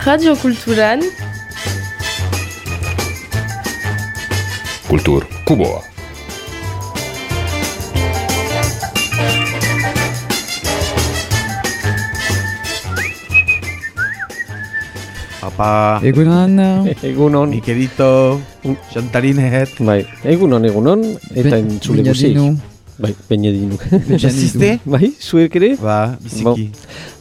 Radio Kulturan Kultur Kuboa. Apa, Egunon. mi querido Xantarinet. Bai, egunon, eta entzule guzik. Bai, Beñadinu. Jasiste? Bai, zuek ere? Ba, biziki.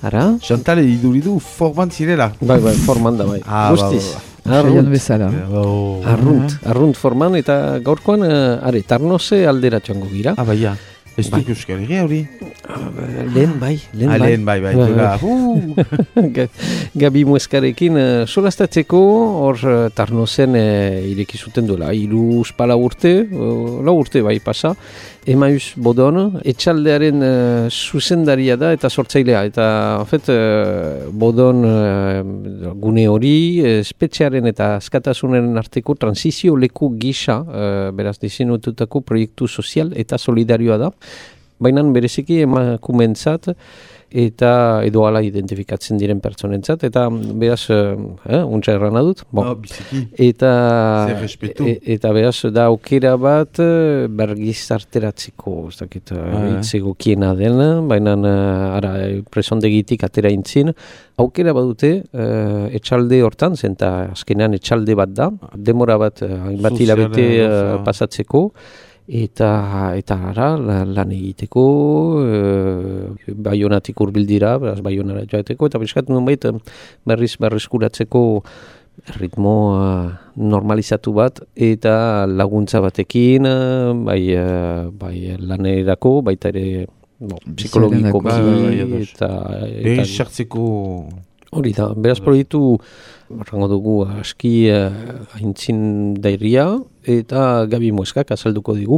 Ara? Xantal iduridu forman zirela. Bai, forman da, bai. Guztiz. Arrunt, bezala. arrunt forman, eta gaurkoan, tarnoze aldera txango gira. Baia. Ez duk Euskal Herria hori? Lehen bai. Lehen bai. Gabi Mueskarekin solastatzeko, hor tarnozen irekizuten duela. 3-4 urte, 4 urte bai pasa. Emaius Bodon, etxaldearen zuzendaria da eta sortzailea. Eta, Bodon gune hori, espetxearen eta askatasunen arteko transizio leku gisa, beraz diseinatutako proiektu sozial eta solidarioa da. Baina bereziki emakumentzat eta edo ala identifikatzen diren pertsonentzat, eta beraz, untsa errana dut, eta beraz da aukera bat bergizarteratzeko, ez dakit, itzegokiena dena, baina presondegitik atera intzin, aukera badute etxalde hortan, zenta azkenean etxalde bat da, demora bat hainbat hilabete pasatzeko, eta lan egiteko, Baionatik hurbil dira, beraz Baionara joateko, eta bizkat nunbait berrizkuratzeko ritmo normalizatu bat, eta laguntza batekin, bai lanerako, baita ere psikologiko eta sartzeko... Hori da, beraz proiektu, rango dugu, aski aintzin dairia, eta Gabi Mueskak azalduko digu,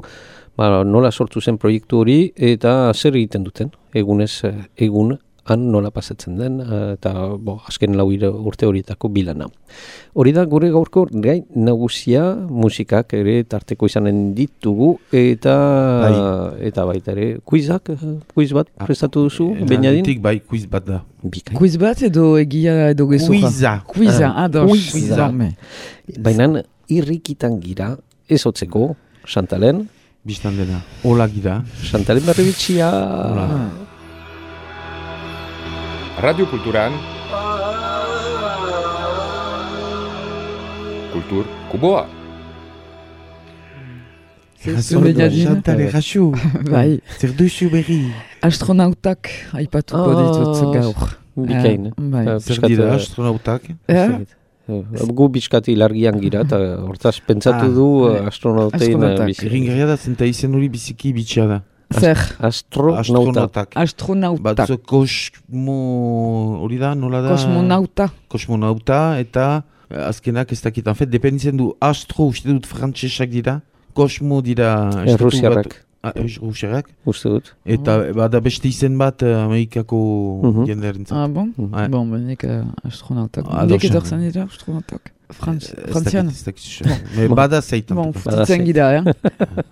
nola sortu zen proiektu hori, eta zer egiten duten, egun han nola pasatzen den, eta azken 4 urte horietako bilana. Hori da, gure gaurko gai nagusia, musikak ere tarteko izanen ditugu, eta baita ere, quiz bat prestatu duzu, Beñadin? Bai, quiz bat da. Quiz bat edo egia edo gezurra? Quiza, ados. Baina irrikitan gira, ez hotzeko, Xantalen. Bistan dena, hola gira. Xantalen berri bitxia. Radio Kulturan Kultur Kuboa. Xantal erraxu. Bai. Zer duzu berri. Astronautak aipatuko ditut gaur. Bikain. Zer dira astronautak? Gu bizkati largian gira, eta hortaz pentsatu du astronautein bizi. Ringarria da, zenta izen hori biziki bitxia da. Zer? Astronautak. Hori da, nola da? Kosmonauta, eta azkenak ez dakit. En fet, dependitzen du astro, uste dut frantsesak dira. Kosmo dira... Rusiarrak. Rusiarrak. Uste dut. Eta bada beste izen bat Amerikako jendearen zat. Bon, benek astronautak. Nek edorzen dira astronautak. Frantzian. Bada zeitan. Bon, futitzen gira,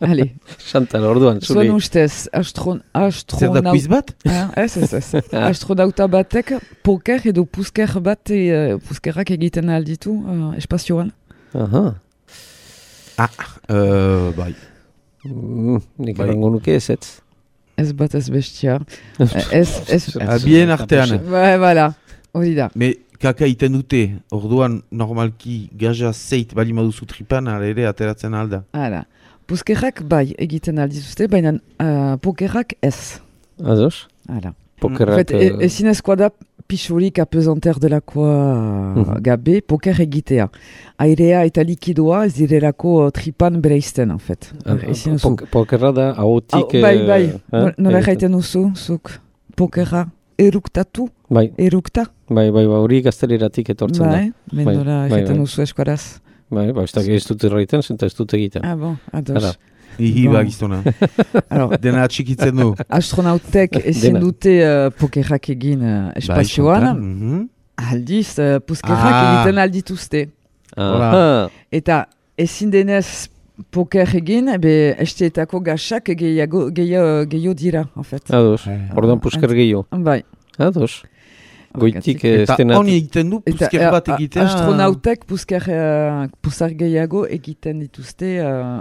Hale. Chantal, orduan, zuri. Zuen ustez, Zer da quiz bat? Ez. Astronauta batek poker edo puskerrak egiten alditu espazioan. Aha. Bai. Nik erango nuke ez. Ez bat ez bestia. Bien artean. Bai, bala. Hori da. Me kaka iten dute, orduan normalki gaja zeit bali maduzu tripan, ere ateratzen alda. Hala. Puskerrak bai egiten aldituzte, baina pokerrak ez. Ados? Hala. Pokerrak... Ezinezkoa da pixurik apezanter delakoa gabe poker egitea. Airea eta likidoa ez direlako tripan bereizten, en fait. Pokerra da ahotik... Bai. Nola jaiten duzu, zuk pokerra eruktatu? Bai. Erukta? Bai, hori gazteleratik etortzen da. Bai, nola jaiten duzu eskuaraz. Bai, ez dut erraiten, zenta ez dut egiten. Bon, ados. Iba giztona. Dena atxikitzen du. Astronautek ezin dute pokerrak egin espazioan. Aldiz, puskerrak egiten aldituzte. Eta ezin denez poker egin, esteetako gaxak gehiago dira, en fait. Ados, ordan pusker gehiago. Bai. Ados. Goitik eta honi egiten du, pusker bat egitea. Astronautek puskar gehiago egiten dituzte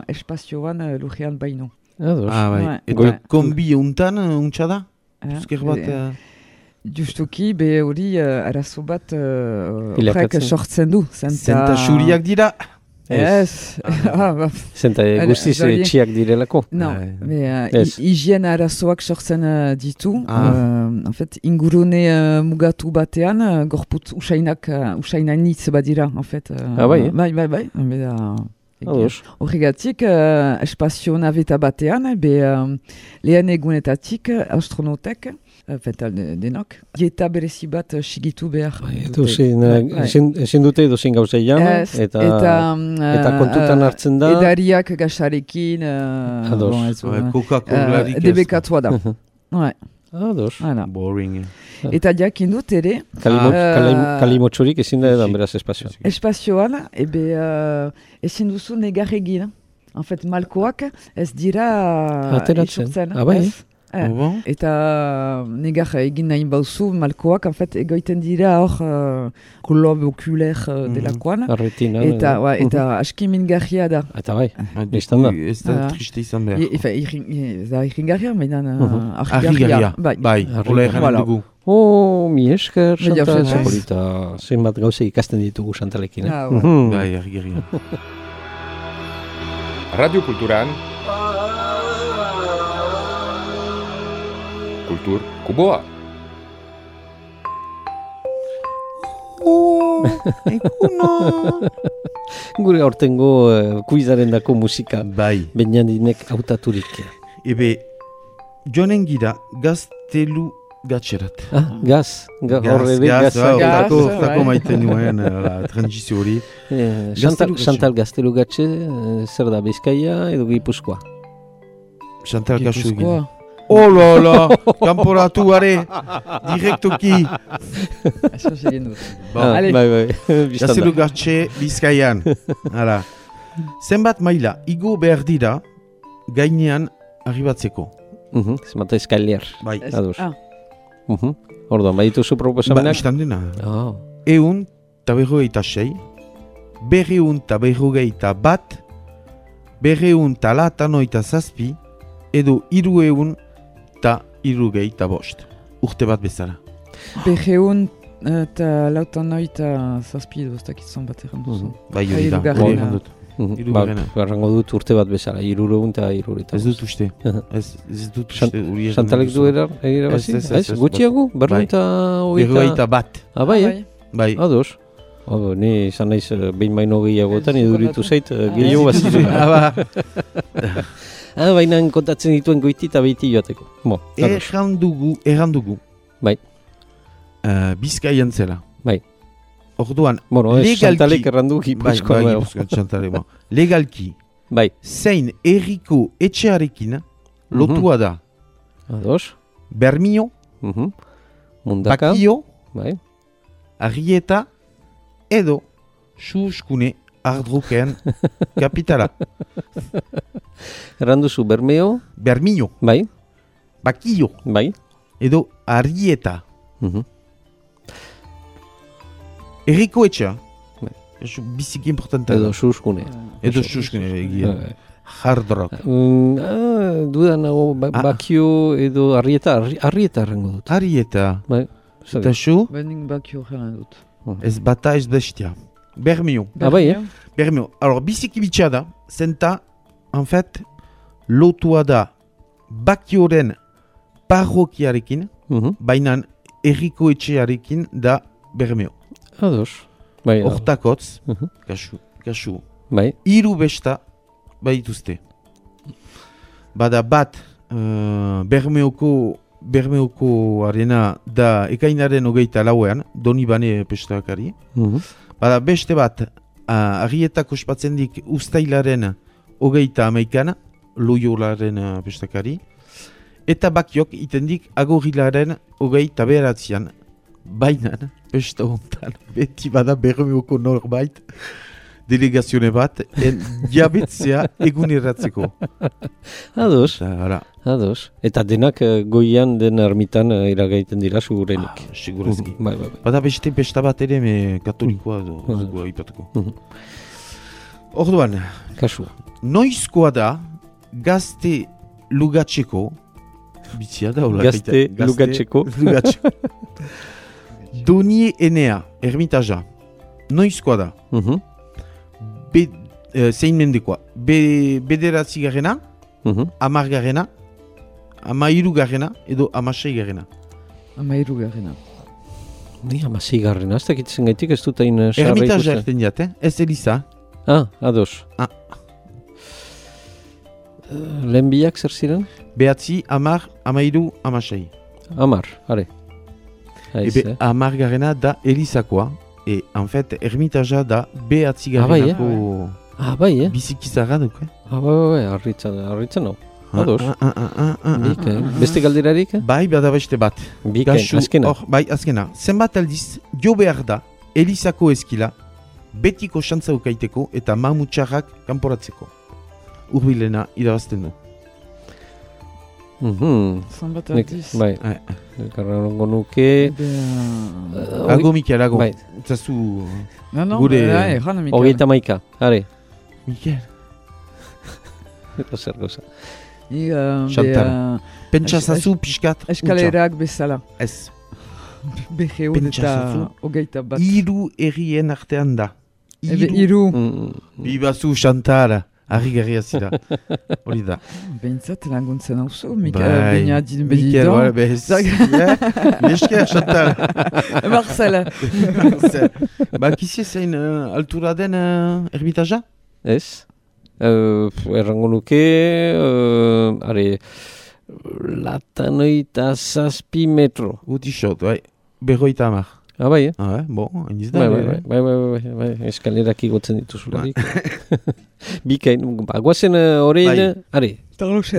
espazioan lurrean baino. Bai. Eta kombi untan, untsa da? Pusker bat... Justuki, hori arazo bat horrek sortzen du. Zenta xuriak dira? Ez. Zenta guztiz txiak direlako? No, higien arazoak sortzen ditu. En fait, ingurune mugatu batean, gorputz usainanitz badira, en fait. Bai. Horregatik, espazio naveta batean, lehen egunetatik astronautek, denok, dieta berezi bat sigitu behar. Ezin dute edozein gauzeia, eta kontutan hartzen da. Edariak gasarekin, Coca-Colarik. Debekatua da. Ados. Boring. Eta jakin dut ere... Kalimotxorik ezin da edan beraz espazioan. Espazioan, ezin duzu negar egin. En fait, malkoak ez dira isurtzen. Eta negar egin nahi bauzu, malkoak, en fait, egoiten dira hor globe okuler delakoan. Eta aski mingarria da. Eta bai, biztan da. Ez da triste izan behar. Ez da irringarria, mainan argigarria. Bai, hola erran dugu. Mi esker, Chantal. Zapolita, zenbat gauze ikasten ditugu Chantalekin. Bai, argigarria. Radio Kulturan Kultur Kuboa. Gure aurtengo kuizaren dako musika. Bai. Benjandinek hautaturik. Joanen gira gaztelu gatxerat. Gaz. Tako maiten nuen, transizio hori. Chantal gaztelu gatxe, zer da, Bizkaia edo Gipuzkoa? Chantal gaxu egin. Oh la, kanporatu are, direktoki. Eso segin dut. Bai. Gaztelu gatxe Bizkaian. Zenbat maila, igo behar dira, gainean arribatzeko. Zenbat eskalier. Bai. Ados. Orduan, badituzu proposamenak? Istan dena. 156, 251, 297, edo 375 urte bat bezala. 297 edo ez dakitzen bat erran duzu. Bai, hori da, hori erran dut. Errango dut urte bat bezala, 375. Ez dut uste. Ez dut uste. Chantalek du erabazi? Ez, gutxiago? 221 bat. Bai. Ados. Ni izan naiz behin baino gehiagotan iduritu zait gehiago bazizu. Baina kontatzen dituen goiti eta behiti joateko. Erran dugu. Bai. Bizkaian zela. Bai. Orduan, Chantalek errandu Gipuzkoa. Legalki, zein erriko etxearekin lotua da. Ados. Bermio, Bakio, Arrieta, edo Suskune Ardruken kapitala. Erranduzu Bermio, bai. Bakio, bai. Edo Arrieta. Erriko etxea, biziki importanta. Edo Suskune. Egia. Hard rock. Dudan nago Bakio edo Arrieta errango dut. Arrieta. Bai. Eta zu? Benin Bakio erran dut. Ez bata ez bestia. Bermio. Bermio. Alors, biziki bitxea da, zenta, en fait, lotua da Bakioren parrokiarekin, bainan erriko etxearekin da Bermio. Ados. Hortakotz, kasu. Bai. 3 besta baituzte. Bada bat Bermeoko arena da ekainaren 24 Donibane pestakari. Bada beste bat Arrietako ospatzendik Uztailaren 21 Loiolaren pestakari. Eta Bakiok itendik Agorilaren 29 bainan, pesta hontan, beti bada Bermeoko norbait, delegazione bat, jabetzea egunerratzeko. Ados. Eta denak goian den ermitan iragaiten dira segurenik. Segurezki. Bai. Bada beste pesta bat ere katolikoa dugu aipatuko. Orduan, kasu. Noizkoa da gazte lugatzeko, bitzia da, gazte lugatzeko. Donie Enea, ermitaja. Noizkoa da. Zein mendekoa. Bederatzi garrena, 10 garrena, 13 garrena, edo 16 garrena. 13 garrena. Ni 16 garrena, ez dakitzen gaitik ez dut hain sarra ikusten. Ermitaja erten jat, ez Eliza. Ados. Lehen biak zer ziren? Behatzi, 10, 13, 16. 10, are. 10 garrena da Elizakoa. En fait, ermitaja da behatzi garrenako bizikizarra duk. Bai, harritzen hau. Ados. Beste galderarik? Bai, bada beste bat. Azkena. Bai, azkena. Zenbat aldiz, jo behar da Elizako eskila betiko xantza ukaiteko eta mamutxarrak kanporatzeko. Urbilena irabazten du. Zenbat aldiz. Bai. Karrango nuke... Ago Mikel, ago. Zazu... Gure... Hogeita maika, are. Mikel. Zer goza. Chantal. Pentsa zazu pixkat. Eskalerak bezala. Ez. Beheun eta hogeita bat. 3 errien artean da. 3. Bibazu Chantal. Arri garria zira. Hori da. Behintzat laguntzen hau zu, Mikel bedidon. Mikel, behezak. Nesker, Chantal. Marcel. Kizi zein altura den ermitaja? Ez. Errango nuke, latanoita 7 metro. Utixot, bai. 50. Bai, bon, hain izda. Bai, eskalerak igotzen dituzularik. Bikain, guazen horrein,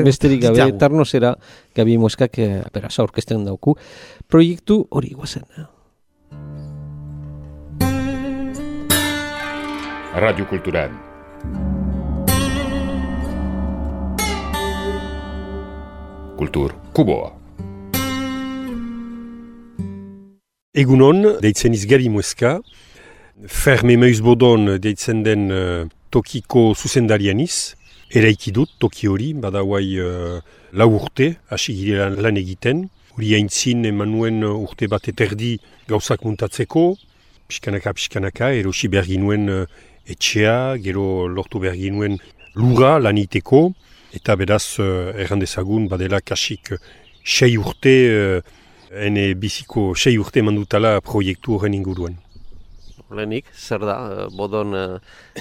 besterik gabe, Tarnosera, Gabi Moskak, berasa orkesten dauku, proiektu hori guazen. Radio Kulturan. Kultur Kuboa. Egunon, deitzen izgari Moska, Ferme Meuzbodon deitzen den tokiko zuzendarianiz, eraiki dut toki hori, bada guai 4 urte, hasi gire lan egiten, hori haintzin eman nuen urte bat eterdi gauzak muntatzeko, pixkanaka, erosi behar ginuen etxea, gero lortu behar ginuen lura laniteko, eta beraz errandezagun badela kasik 6 urte, ene biziko 6 urte mandutala proiektu horren inguruan. Lehenik, zer da, Bodon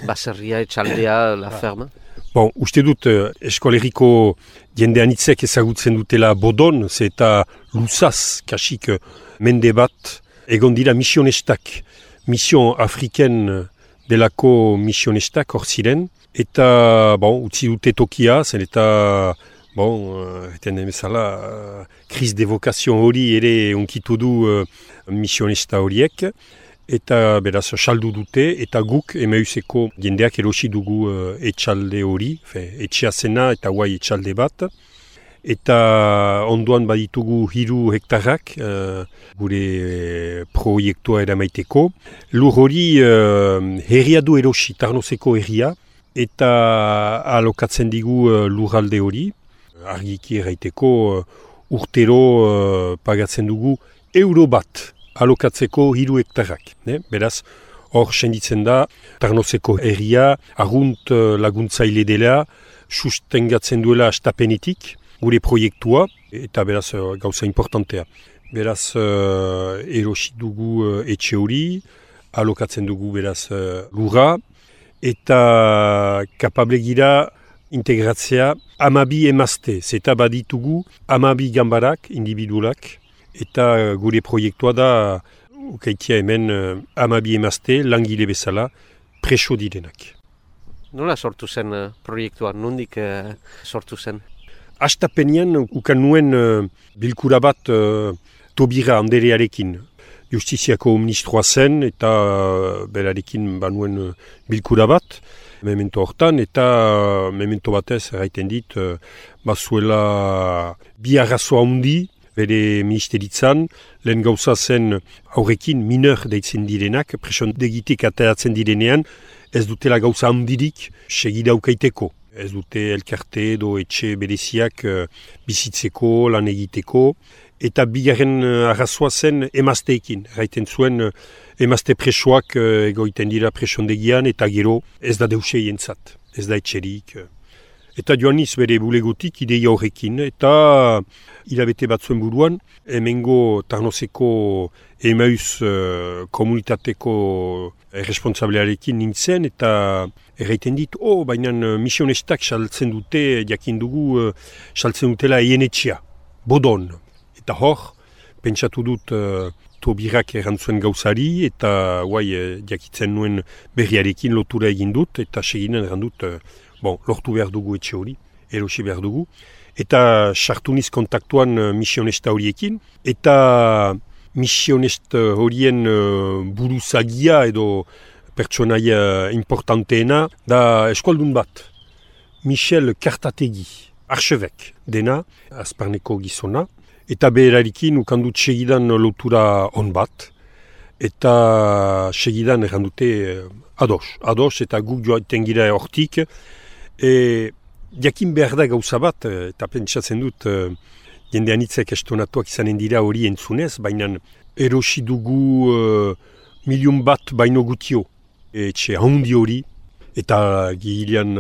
baserria, etxaldea, la ferma? Bon, uste dut eskoleriko jendeanitzek ezagutzen dutela Bodon, ze eta luzaz, kasik mende bat, egon dira misionestak, mission afriken delako misionestak hor ziren, eta, utzi dute tokia, zen eta, eten emezala, kriz de vokazion hori ere onkitu du misionesta horiek, eta beraz saldu dute, eta guk emeuzeko jendeak erosi dugu etxalde hori, etxea zena eta guai etxalde bat, eta ondoan baditugu 3 hektarrak gure proiektua eramaiteko. Lur hori herria du erosi, Tarnoseko herria, eta alokatzen digu lurralde hori, argiki erraiteko urtero pagatzen dugu euro bat alokatzeko 3 hektarrak. Beraz, hor senditzen da, Tarnoseko herria, argunt laguntzaile dela, sustengatzen duela astapenetik, gure proiektua, eta beraz gauza importantea. Beraz, erosi dugu etxe hori, alokatzen dugu beraz lurra, eta kapable gira integratzea 12 emazte, zeta baditugu 12 gambarak, individualak, eta gure proiektua da, ukaitia hemen 12 emazte, langile bezala, preso direnak. Nola sortu zen proiektua, nondik sortu zen? Astapenean ukan nuen bilkura bat Tobira Anderearekin. justiziako ministroa zen, eta berarekin banuen bilkura bat, memento hortan, eta memento batez erraiten dit, bazuela bi arrazoa handi, bere ministeritzan, lehen gauza zen aurrekin mineur deitzen direnak, presondegitik ateratzen direnean, ez dutela gauza handirik segida ukaiteko. Ez dute elkarte edo etxe bereziak bizitzeko, lan egiteko, eta bigarren arrazoa zen emazteekin. Erraiten zuen emazte presoak egoiten dira presondegian, eta gero ez da deuse jentzat, ez da etxerik. Eta joaniz bere bulegotik ideia horrekin, eta hilabete batzuen buruan, hemengo Tarnoseko Emaus komunitateko responsablearekin nintzen, eta erraiten dit, baina misionestak saltzen dute, jakin dugu, saltzen dutela eienetxea, bodon. Eta hor, pentsatu dut Tobirak erantzuen gauzari, eta jakitzen nuen berriarekin lotura egin dut, eta seginen errandut, lortu behar dugu etxe hori, erosi behar dugu. Eta sartuniz kontaktuan misionesta horiekin, eta misionesta horien buruzagia edo pertsonaia importanteena da eskualdun bat. Michel Kartategi, archevek dena, Azparneko gizona, eta berarikin ukandut segidan lotura on bat, eta segidan errandute ados, eta guk joaten gira hortik, jakin behar da gauza bat, eta pentsatzen dut jende anitzek estonatuak izanen dira hori entzunez, baina erosi dugu 1.000.000 bat baino gutio. Etxe handi hori, eta gilean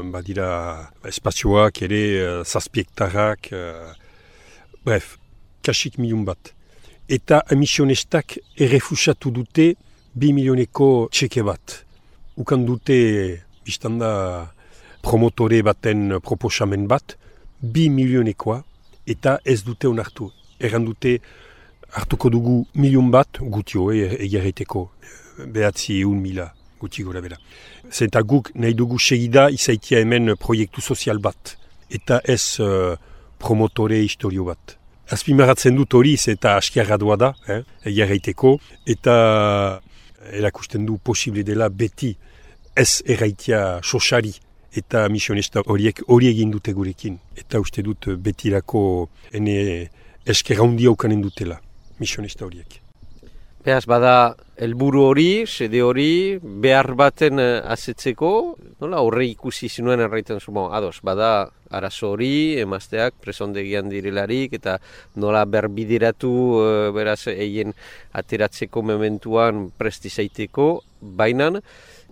badira espazioak ere, zazpiektarrak, bref, kasik 1.000.000 bat. Eta emisionestak errefusatu dute 2 milioneko txeke bat. Ukan dute, biztanda, promotore baten proposamen bat, 2 milionekoa, eta ez dute onartu. Erran dute hartuko dugu 1.000.000 bat, gutio, egerreteko, 900.000 guti gora bera. Zenta guk nahi dugu segida izaitia hemen proiektu sozial bat, eta ez promotore historio bat. Azpimarratzen dut hori, eta askiarra doa da, egerreteko, eta erakusten du posible dela beti ez erraitia sosari, eta misionesta horiek hori egin dute gurekin. Eta uste dut betirako ene eskerra handia ukanen dutela, misionesta horiek. Beaz, bada helburu hori, sede hori, behar baten azetzeko, nola horre ikusi zinuen erraiten zu, ados, bada arazo hori, emazteak presondegian direlarik, eta nola berbideratu, beraz, eien ateratzeko mementuan prestizaiteko, bainan,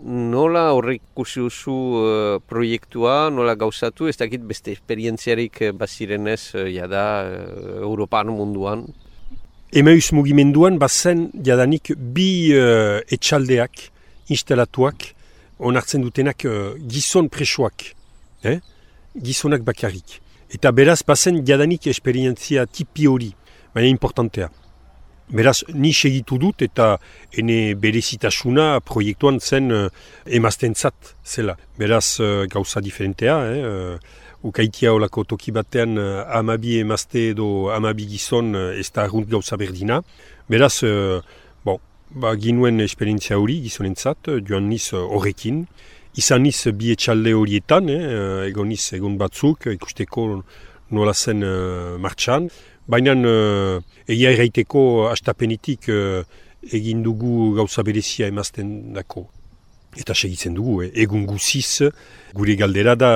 nola horrek ikusi duzu proiektua, nola gauzatu, ez dakit beste esperientziarik bazirenez jada Europan munduan? Emaus mugimenduan bazen jadanik bi etxaldeak instalatuak onartzen dutenak gizon presoak, gizonak bakarrik. Eta beraz bazen jadanik esperientzia tipi hori, baina importantea. Beraz, ni segitu dut eta ene berezitasuna proiektuan zen emaztentzat zela. Beraz, gauza diferentea, ukaitia olako toki batean 12 emazte edo 12 gizon ez da arrunt gauza berdina. Beraz, ginuen esperientzia hori gizonentzat, joan niz horrekin. Izan niz bi etxalde horietan, egon niz egon batzuk, ikusteko nola zen martxan. Baina egia erraiteko astapenetik egin dugu gauza berezia emazten dako. Eta segitzen dugu, egun guziz, gure galdera da,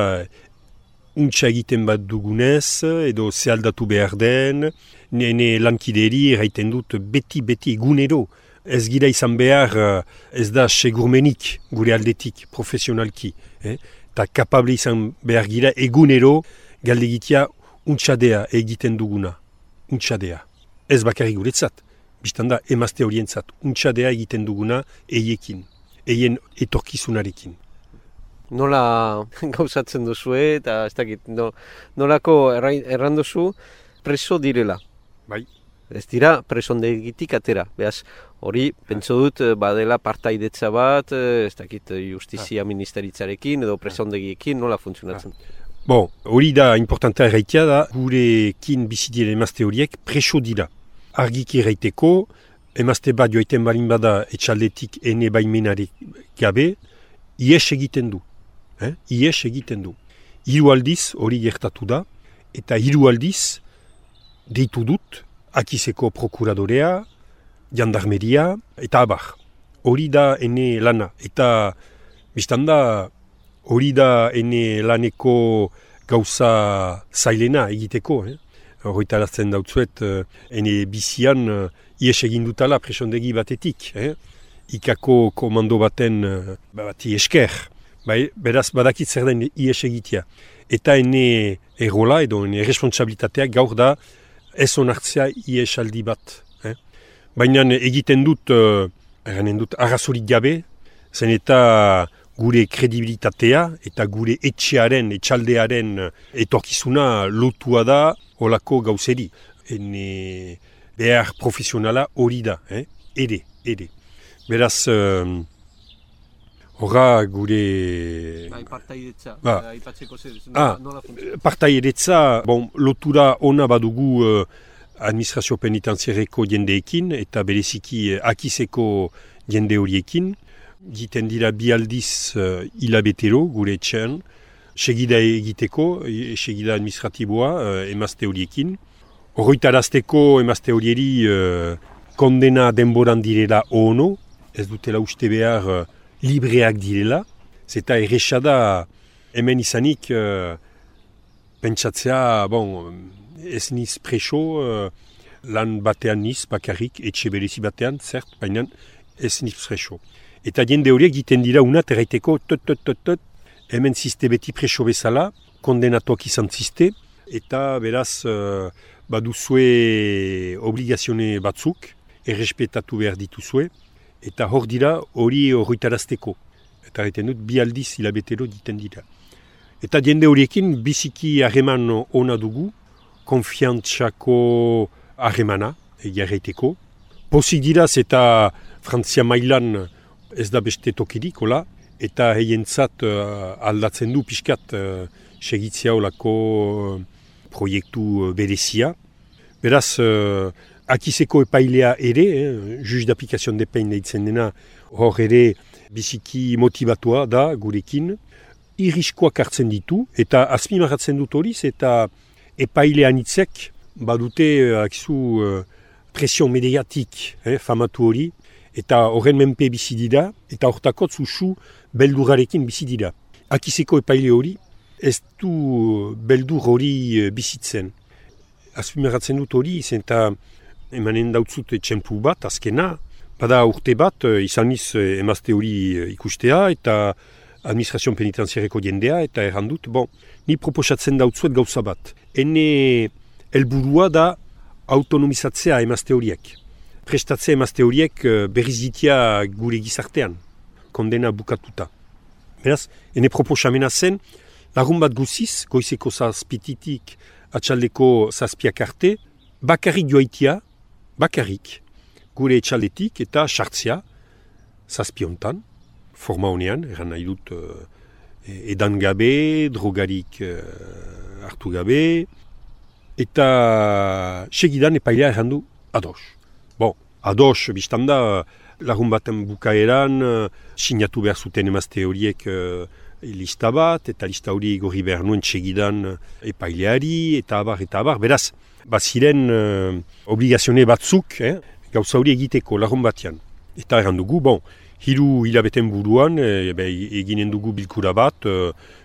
untsa egiten bat dugunez, edo zehaldatu behar den, nene lankideri erraiten dut beti egunero. Ez gira izan behar, ez da segurmenik gure aldetik, profesionalki. Eta kapable izan behar gira egunero galdegitea untsadea egiten duguna. Untsadea. Ez bakarrik guretzat, biztanda emazte horientzat, untsadea egiten duguna eiekin, eien etorkizunarekin. Nola gauzatzen duzu eta ez dakit, nolako erranduzu preso direla? Bai. Ez dira presondegitik atera, behaz hori pentso dut badela partaidetza bat, ez dakit justizia ministeritzarekin edo presondegiekin nola funtzionatzen? Hori da importantea erraitea da, gurekin bizitien emazte horiek preso dira. Argiki erraiteko, emazte bat joaiten balin bada etxaldetik ene baimenari gabe, ies egiten du. Ies egiten du. 3 aldiz hori gertatu da, eta 3 aldiz deitu dut Akizeko prokuradorea, jandarmeria, eta abar. Hori da ene lana. Eta biztanda hori da ene laneko gauza zailena egiteko. Horretarazten dautzuet, ene bizian ies egin dutala presondegi batetik. Ikako komando baten bati esker. Beraz badakit zer den ies egitea. Eta ene errola edo ene responsabilitatea gaur da ez onartzea ies aldi bat. Baina egiten dut, arrazorik gabe, zen eta gure kredibilitatea eta gure etxaldearen etorkizuna lotua da olako gauzeri. Ene behar profesionala hori da, ere. Beraz, horra gure... Partaideetza, lotura ona badugu administrazio penitenziareko jendeekin eta bereziki Akizeko jende horiekin. Giten dira 2 aldiz hilabetero gure etxean, segida egiteko, segida administratiboa emazte horiekin. Horretarazteko emazte horieri kondena denboran direla ono, ez dutela uste behar libreak direla, zeta errexada hemen izanik pentsatzea, ez niz preso, lan batean niz, bakarrik, etxe berezi batean, zert, baina ez niz preso. Eta jende horiek egiten dira unat erraiteko, hemen ziste beti preso bezala, kondenatuak izan ziste, eta beraz baduzue obligazione batzuk, errespetatu behar dituzue, eta hor dira hori horretarazteko. Eta erraiten dut, 2 aldiz hilabetero diten dira. Eta jende horiekin biziki harreman ona dugu, konfiantzako harremana, egiarreiteko. Pozik dira, eta Frantzia mailan ez da beste tokirik, eta heientzat aldatzen du pixkat segitzea olako proiektu berezia. Beraz, Akizeko epailea ere, juge d'application de peine deitzen dena, hor ere biziki motibatua da gurekin, irriskoak hartzen ditu, eta azpimarratzen dut horiz, eta epaile anitzek badute presion mediatik famatu hori, eta horren menpe bizi dira, eta hortakotz usu beldurrarekin bizi dira. Akizeko epaile hori, ez du beldur hori bizitzen. Azpimarratzen dut hori, eta emanen dautzut txempu bat, azkena, bada urte bat, izaniz emazte hori ikustea, eta administrazio penitenziareko jendea, eta errandut, ni proposatzen dautzuet gauza bat. Ene helburua da autonomizatzea emazte horiek. Prestatzea emazte horiek berriz ditia gure gizartean, kondena bukatuta. Beraz, ene proposamena zen, lagun bat guziz, goizeko 7:00 atxaldeko 7:00 arte, bakarrik joaitia, gure etxaldetik eta sartzea 7:00 forma honean, eran nahi dut edan gabe, drogarik hartu gabe, eta segidan epailea errandu ados. Ados, biztanda, lagun baten bukaeran, sinatu behar zuten emazte horiek lista bat, eta lista hori gorri behar nuen segidan epaileari, eta abar. Beraz, baziren obligazione batzuk, gauza hori egiteko lagun batean. Eta errandugu, 3 hilabeten buruan, eginen dugu bilkura bat,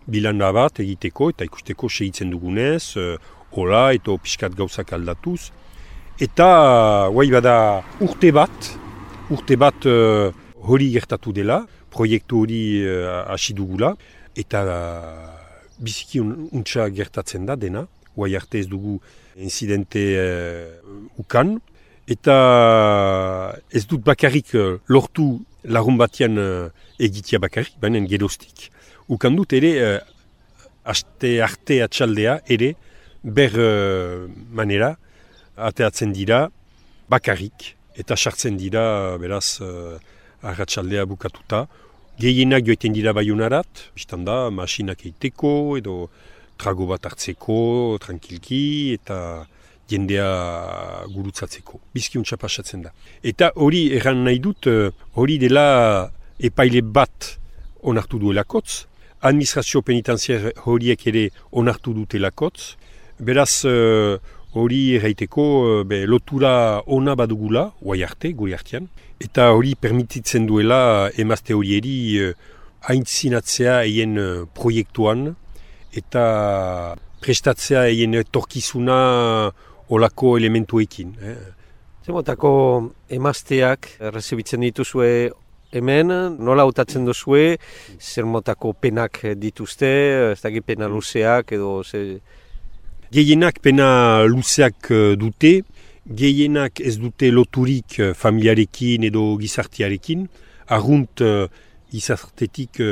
bilanda bat egiteko, eta ikusteko segitzen dugunez, hola, eta pixkat gauzak aldatuz. Eta, bada, urte bat hori gertatu dela, proiektu hori hasi dugula, eta biziki untsa gertatzen da dena, guai arte ez dugu incidente ukan, eta ez dut bakarrik lortu lagun batean egitea bakarrik, baina geroztik. Ukan dut ere, aste arte atxaldea ere, ber manera, ateatzen dira bakarrik, eta sartzen dira, beraz, arratsaldea bukatuta. Gehienak joiten dira Baionarat, biztanda, masinak eiteko, edo trago bat hartzeko, tranquilki, eta jendea gurutzatzeko. Bizkiuntza pasatzen da. Eta hori erran nahi dut, hori dela epaile bat onartu duelakotz, administrazio penitenziar horiek ere onartu dutelakotz, beraz hori erraiteko lotura ona badugula, guai arte, gure artean, eta hori permititzen duela emazte horieri aintzinatzea eien proiektuan, eta prestatzea eien etorkizuna olako elementuekin. Zemotako emazteak errezibitzen dituzue hemen, nola hautatzen duzue, zer motako penak dituzte, ez dakit pena luzeak edo... Gehienak pena luzeak dute, gehienak ez dute loturik familiarekin edo gizartearekin, arrunt gizartetik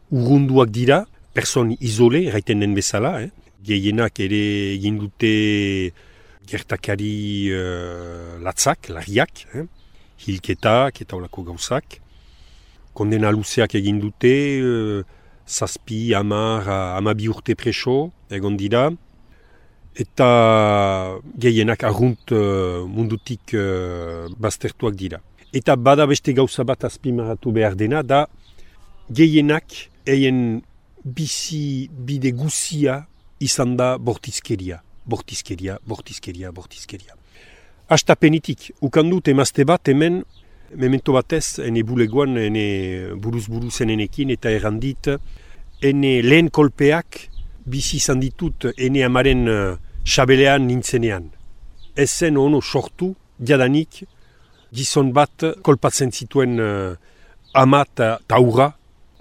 urrunduak dira, person izole, erraiten den bezala, gehienak ere egin dute gertakari latzak, larriak, hilketak eta olako gauzak. Kondena luzeak egin dute, 7, 10, 12 urte preso, egon dira, eta gehienak arrunt mundutik baztertuak dira. Eta bada beste gauza bat azpimarratu behar dena, da gehienak eien bizi bide guzia izan da bortizkeria. Bortizkeria. Astapenitik, ukandut emazte bat hemen, memento batez, ene bulegoan, ene buruz enenekin, eta errandit, ene lehen kolpeak bizi izan ditut ene amaren xabelean nintzenean. Ezen ono sortu, jadanik, gizon bat kolpatzen zituen ama eta aurra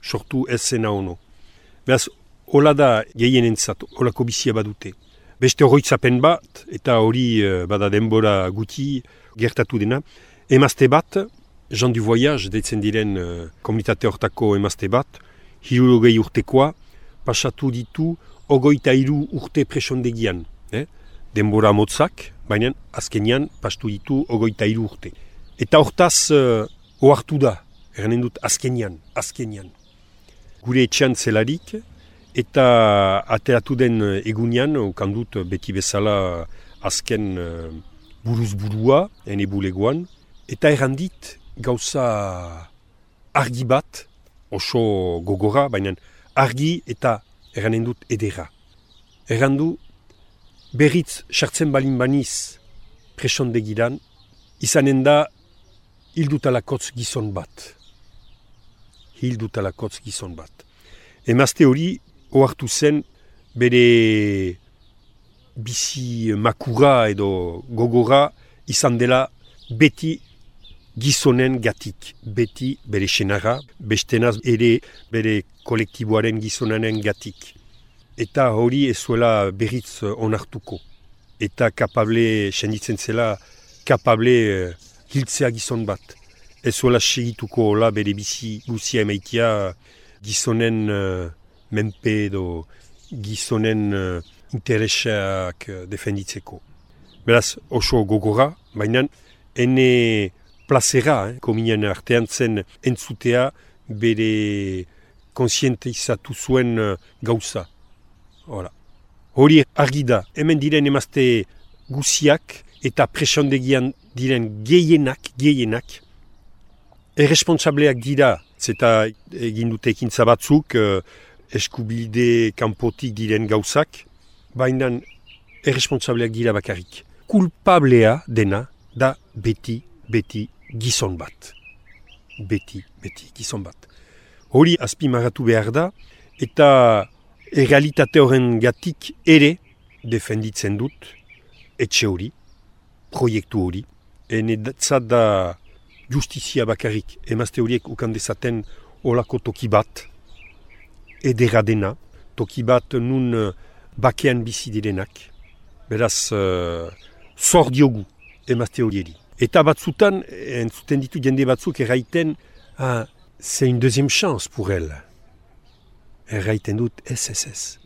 sortu ezena ono. Beraz, hola da gehienentzat, holako bizia badute. Beste oroitzapen bat, eta hori bada denbora guti gertatu dena, emazte bat, Jean du Voyage, deitzen diren komunitate hortako emazte bat, 60 urtekoa, pasatu ditu 23 urte presondegian. Denbora motzak, baina azkenian pastu ditu 23 urte. Eta hortaz ohartu da, eranen dut azkenian. Gure etxean zelarik, eta ateratu den egunean, okandut beti bezala azken buruz-burua, ene bulegoan, eta errandit gauza argi bat, oso gogora, baina argi eta erranen dut edera. Errandu, berriz sartzen balin baniz presondegiran, izanen da hildutalakotz gizon bat. Emazte hori ohartu zen bere bizi makura edo gogora izan dela beti gizonen gatik, beti bere senara, bestenaz ere bere kolektiboaren gizonanen gatik. Eta hori ez zuela berriz onartuko. Eta kapable, senditzen zela, kapable hiltzea gizon bat. Ez zuela segituko hola bere bizi guzia emaitia gizonen menpe edo gizonen interesak defenditzeko. Beraz, oso gogora, baina ene plazera, kominen artean zen entzutea bere konsientizatu zuen gauza. Hori argi da, hemen diren emazte guziak eta presondegian diren gehienak, erresponsableak dira, zeta egin dute ekintza batzuk, eskubide kanpotik diren gauzak, baina erresponsableak dira bakarrik. Kulpablea dena da beti gizon bat. Beti gizon bat. Hori azpimarratu behar da, eta errealitate horren gatik ere defenditzen dut etxe hori, proiektu hori. Enetzat da justizia bakarrik, emazte horiek ukandezaten olako toki bat, edera dena, toki bat nun bakean bizi direnak. Beraz, zor diogu emazte horieri. Eta batzutan, entzuten ditu jende batzuk erraiten, c'est une deuxième chance pour elle. Erraiten dut, ez.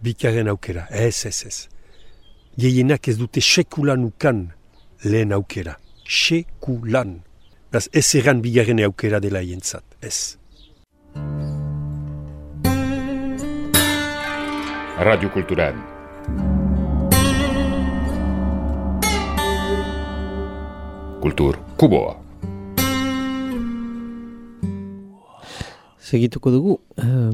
Bigarren aukera, ez. Gehienak ez dute sekulan ukan lehen aukera. Sekulan. Beraz, ez erran bigarren aukera dela jentzat, ez. Radio Cultural. Kultur Kuboa. Segituko dugu,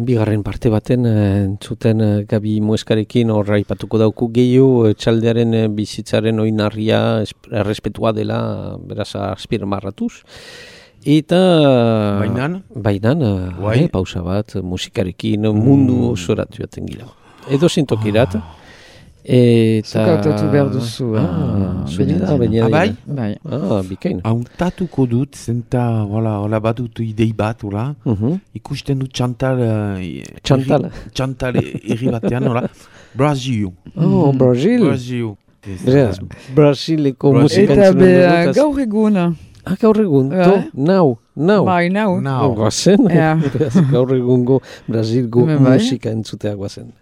bigarren parte baten entzuten Gabi Mueskarekin horra ipatuko dauku gehiago txaldearen bizitzaren oinarria errespetua dela beraz azpimarratuz. Eta bainan pausa bat musikarekin mundu osoratu jaten gira. Edo zintokirat. Zuka autotu behar duzu. Bai? Bikain. Hauntatuko dut, zenta, hola bat dut idei bat, ikusten dut Chantal erri batean, Brasil. Brasil. Brasileko musika entzunen dut. Eta gaur egun. Gaur egun, nau. Bai, nau. Guazen, gaur egungo Brasilgo musika entzutea guazen.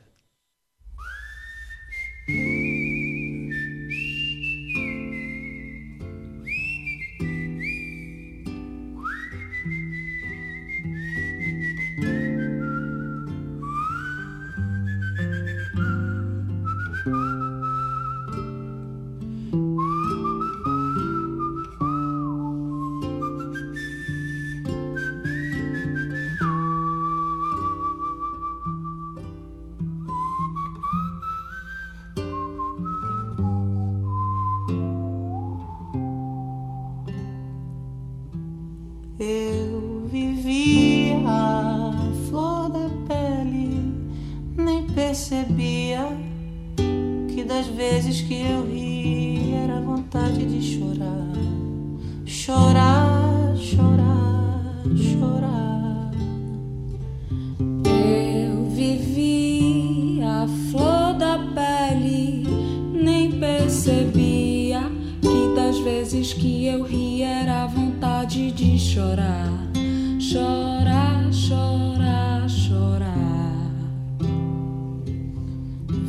Eu vivia a flor da pele, nem percebia que das vezes que eu ri era vontade de chorar. Chorar, chorar, chorar. Eu vivia a flor da pele, nem percebia que das vezes que eu ri era vontade de chorar, chorar, chorar, chorar.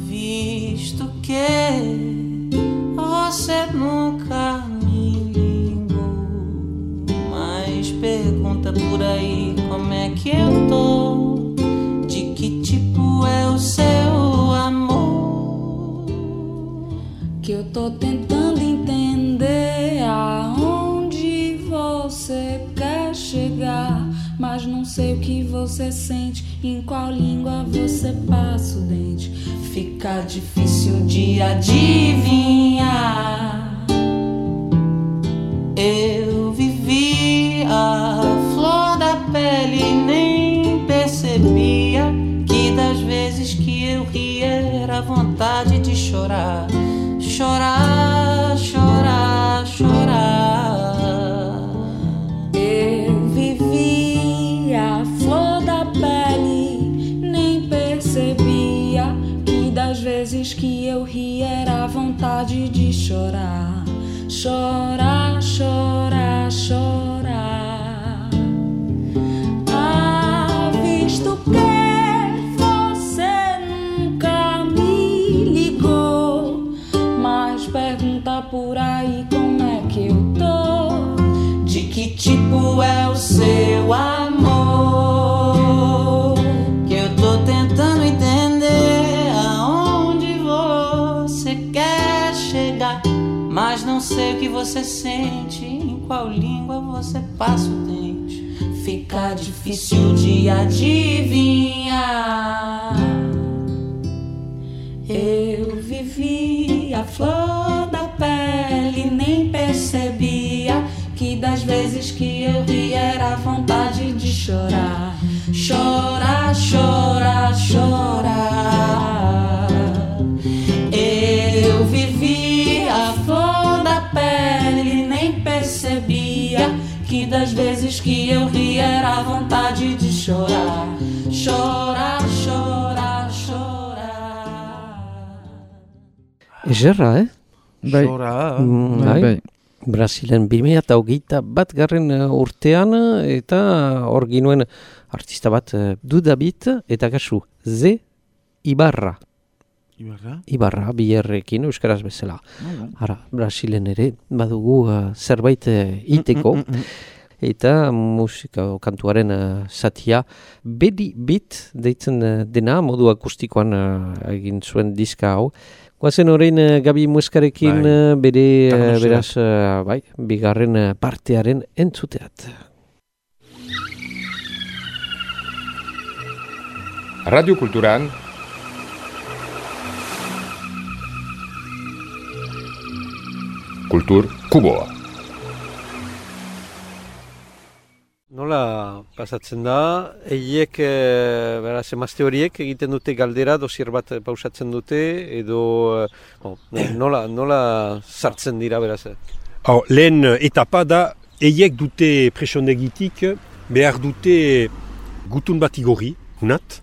Visto que você nunca me ligou, mas pergunta por aí como é que eu tô, de que tipo é o seu amor, que eu tô tentando entender aonde você quer chegar, mas não sei o que você sente, em qual língua você passa o dente. Fica difícil de adivinhar. Eu vivi a flor da pele e nem percebia que das vezes que eu ria era vontade de chorar. Chorar, chorar, chorar. Eu vivi a flor da pele, nem percebia que das vezes que eu ri era vontade de chorar. Chorar, chorar, chorar. Ah, visto que você nunca me ligou, mas pergunta por aí como é que eu tô, de que tipo é o seu amor, que eu tô tentando entender aonde você quer chegar, mas não sei o que você sente, em qual língua você passa o dente. Fica difícil de adivinhar. Eu vivi a flor da pele, nem percebia que das vezes que eu ri era vontade de chorar. Chorar, chorar, chorar. Eu vivi a flor da pele, nem percebia que das vezes que eu ri era vontade de chorar. Chorar, chorar, chorar. Egerra, Bai. Bai. Brasilen 2021 urtean eta hor ginuen artista bat Dudabit eta kasu Z Ibarra. Ibarra, biherrekin, euskaraz bezala. Ara, Brasilen ere, badugu zerbait iteko. Eta musika kantuaren zatia Bedi Beat deitzen dena, modu akustikoan egin zuen diska hau. Guazen horrein Gabi Mueskarekin bere, beraz, bigarren partearen entzuteat. Radio Kulturan Kultur Kuboa. Nola pasatzen da, eiek, beraz, emazte horiek egiten dute galdera, dosier bat pausatzen dute, edo nola sartzen dira, beraz? Lehen etapa da, eiek dute presondegitik, behar dute gutun bat igorri, unat,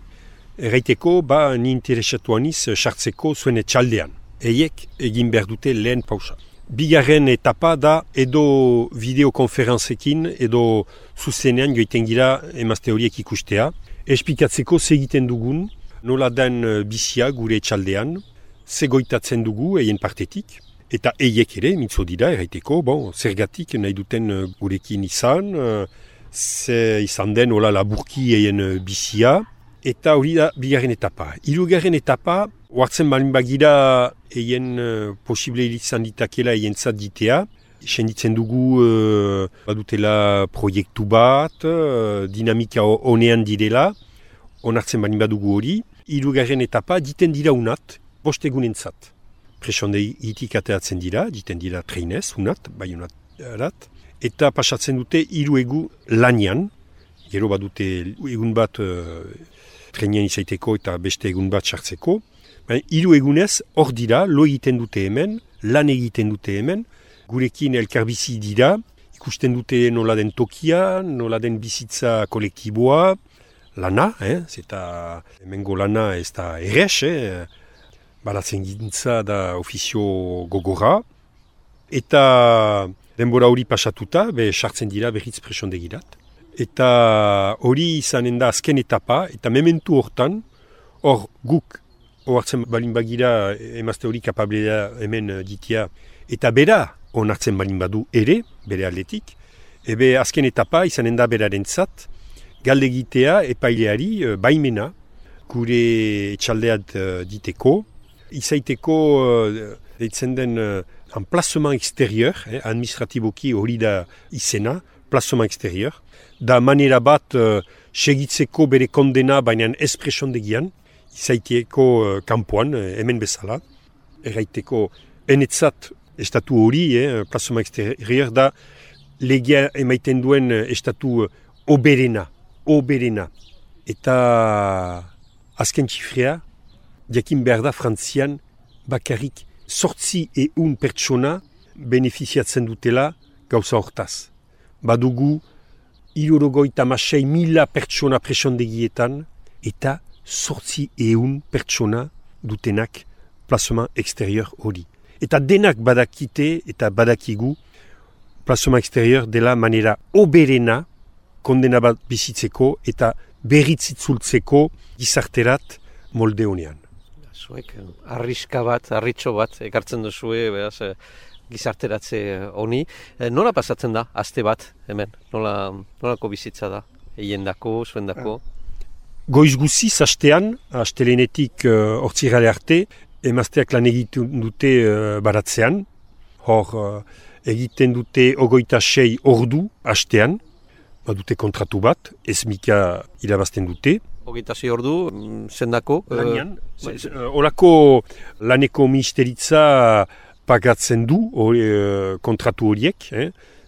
erraiteko, ni interesatuaniz sartzeko zuen etxaldean. Eiek egin behar dute lehen pausa. Bigarren etapa da edo videokonferentzekin edo zuzenean joiten gira emazte horiek ikustea. Esplikatzeko segiten dugun, nola den bizia gure etxaldean, zegoitatzen dugu eien partetik. Eta eiek ere, mitzo dira, erraiteko, zergatik nahi duten gurekin izan, ze izan den hola laburki eien bizia. Eta hori da bigarren etapa. Hirugarren etapa, oartzen balin bagira eien posible izan ditakela eien zat ditea. Senditzen dugu badutela proiektu bat, dinamika honean direla, onartzen balin badugu hori. Hirugarren etapa diten dira unat, 5 egunen zat. Presondegitik ateratzen dira, diten dira treinez, unat, bai unat erat. Eta pasatzen dute 3 egu lanian, gero badute egun bat trenean izaiteko eta beste egun bat sartzeko. 3 egunez hor dira, lo egiten dute hemen, lan egiten dute hemen, gurekin elkarbizi dira, ikusten dute nola den tokia, nola den bizitza kolektiboa, lana, zeta hemengo lana ez da errex, balatzen gintza da ofizio gogorra, eta denbora hori pasatuta, sartzen dira berriz presondegirat. Eta hori izanen da azken etapa, eta mementu hortan, hor guk, ohartzen balin bagira emazte hori kapablea hemen ditia, eta bera onartzen balin badu ere, bere aldetik, ebe azken etapa izanen da beraren zat, galdegitea epaileari baimena, gure etxaldeat diteko, izaiteko deitzen den emplazement exterior, administratiboki hori da izena, emplazement exterior, da manera bat segitzeko bere kondena baina ez presondegian, izaiteko kanpoan, hemen bezala, erraiteko enetzat estatu hori, emplazement exterior da legia emaiten duen estatu oberena. Eta azken txifrea, jakin behar da Frantzian bakarrik 800 pertsona benefiziatzen dutela gauza hortaz. Badugu 76.000 pertsona presondegietan eta 800 pertsona dutenak plazement exterior hori. Eta denak badakite eta badakigu plazement exterior dela manera oberena kondena bat bizitzeko eta berritzitzultzeko gizarterat molde honean. Zuek arriska bat, arritxo bat, ekartzen duzue, beraz, gizarteratze honi. Nola pasatzen da, aste bat, hemen? Nolako bizitza da? Eiendako, zuendako? Goiz guziz astean, astelenetik hortzirale arte, emazteak lan egiten dute baratzean. Hor egiten dute 26 ordu astean, badute kontratu bat, ezmika irabazten dute. 26 ordu, zendako? Lanian. Horako laneko ministeritza pagatzen du kontratu horiek,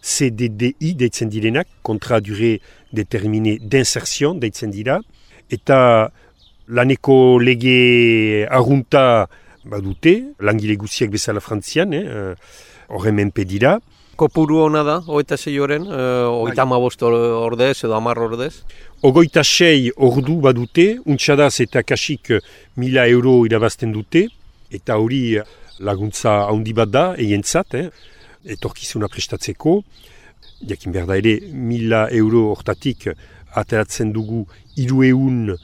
CDDI deitzen direnak, kontra dure determine d'insertion deitzen dira, eta laneko lege arrunta badute, langile guziak bezala Frantzian, horren menpe dira. Kopuru hona da, 26 horren, 35 ordez edo 10 ordez? 26 ordu badute, untxadaz eta kasik 1.000 euro irabazten dute, eta hori laguntza handi bat da, eientzat, etorkizuna prestatzeko. Jakin behar da ere, 1.000 euro hortatik ateratzen dugu 300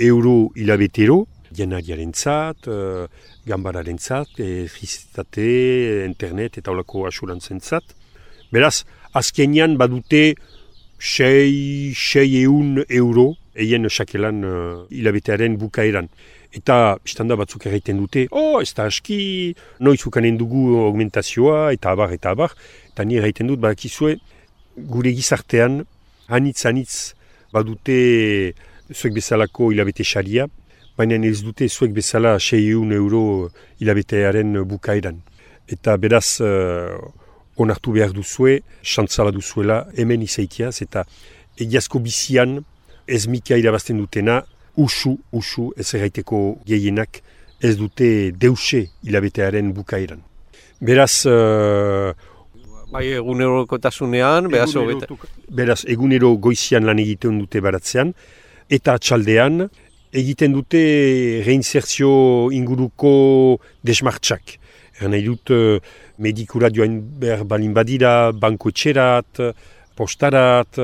euro hilabetero, janariaren zat, gambararen zat, elektrizitate, internet eta holako asurantzen zat. Beraz, azkenean badute 600 euro eien sakelan hilabetearen bukaeran. Eta biztanda batzuk erraiten dute, ez da aski, noiz ukanen dugu augmentazioa, eta abar. Eta ni erraiten dut, badakizue, gure gizartean, anitz badute zuek bezalako hilabete xaria, baina ez dute zuek bezala 600 euro hilabetearen bukaeran. Eta beraz, onartu behar duzue, xantzala duzuela, hemen izaitiaz, eta egiazko bizian, ez mika irabazten dutena, usu, ez erraiteko gehienak, ez dute deuse hilabetearen bukaeran. Beraz, bai egunerokotasunean, beraz egunero goizian lan egiten dute baratzean, eta atxaldean egiten dute reinserzio inguruko desmartxak. Nahi dut medikura joan behar balin badira, banko etxerat, postarat,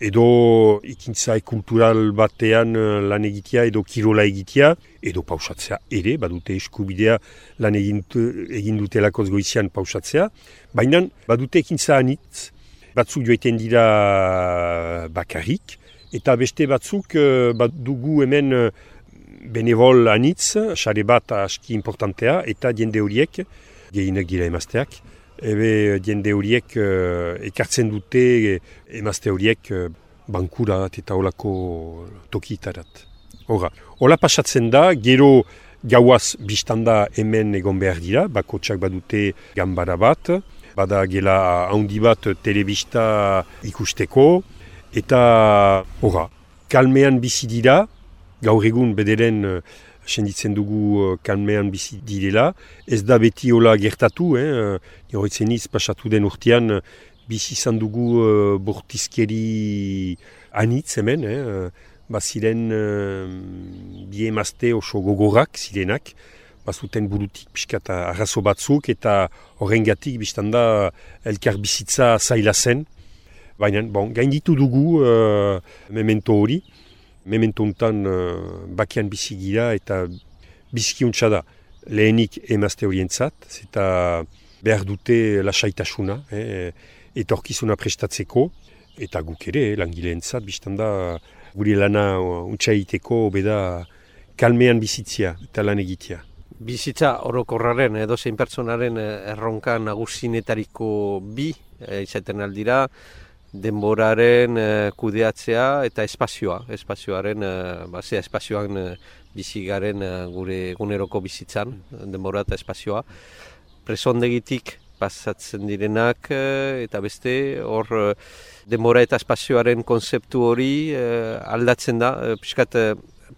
edo ikintza kultural batean lan egitea, edo kirola egitea, edo pausatzea ere, badute eskubidea lan egin dutelakoz goizian pausatzea, baina badute ekintza anitz, batzuk joiten dira bakarrik, eta beste batzuk dugu hemen benevol anitz, xare bat aski importantea, eta jende horiek, gehienak dira emazteak, jende horiek ekartzen dute emazte horiek bankurat eta olako tokitarat. Hola pasatzen da, gero gauaz biztanda hemen egon behar dira, bakotsak badute ganbara bat, bada gela handi bat telebista ikusteko, eta kalmean bizi dira, gaur egun bederen senditzen dugu kalmean bizi direla, ez da beti hola gertatu, horretzeniz pasatu den urtean bizi izan dugu bortizkeri anitz hemen, baziren bi emazte oso gogorrak zirenak, bazuten burutik pixkat arrazo batzuk eta horrengatik biztanda elkar bizitza zaila zen. Baina, gainditu dugu memento hori, memento hontan bakian bizi gira eta bizkiuntza da lehenik emazte horientzat, eta behar dute lasaitasuna, etorkizuna prestatzeko, eta guk ere langileentzat biztanda gure lana untsaiteko beda kalmean bizitzia eta lan egitea. Bizitza orokorraren edo zein pertsonaren erronka nagusinetariko bi izaten aldira, denboraren kudeatzea eta espazioaren, espazioan bizigaren gure eguneroko bizitzan, denbora eta espazioa. Presondegitik pasatzen direnak eta beste, hor denbora eta espazioaren konzeptu hori aldatzen da, pixkat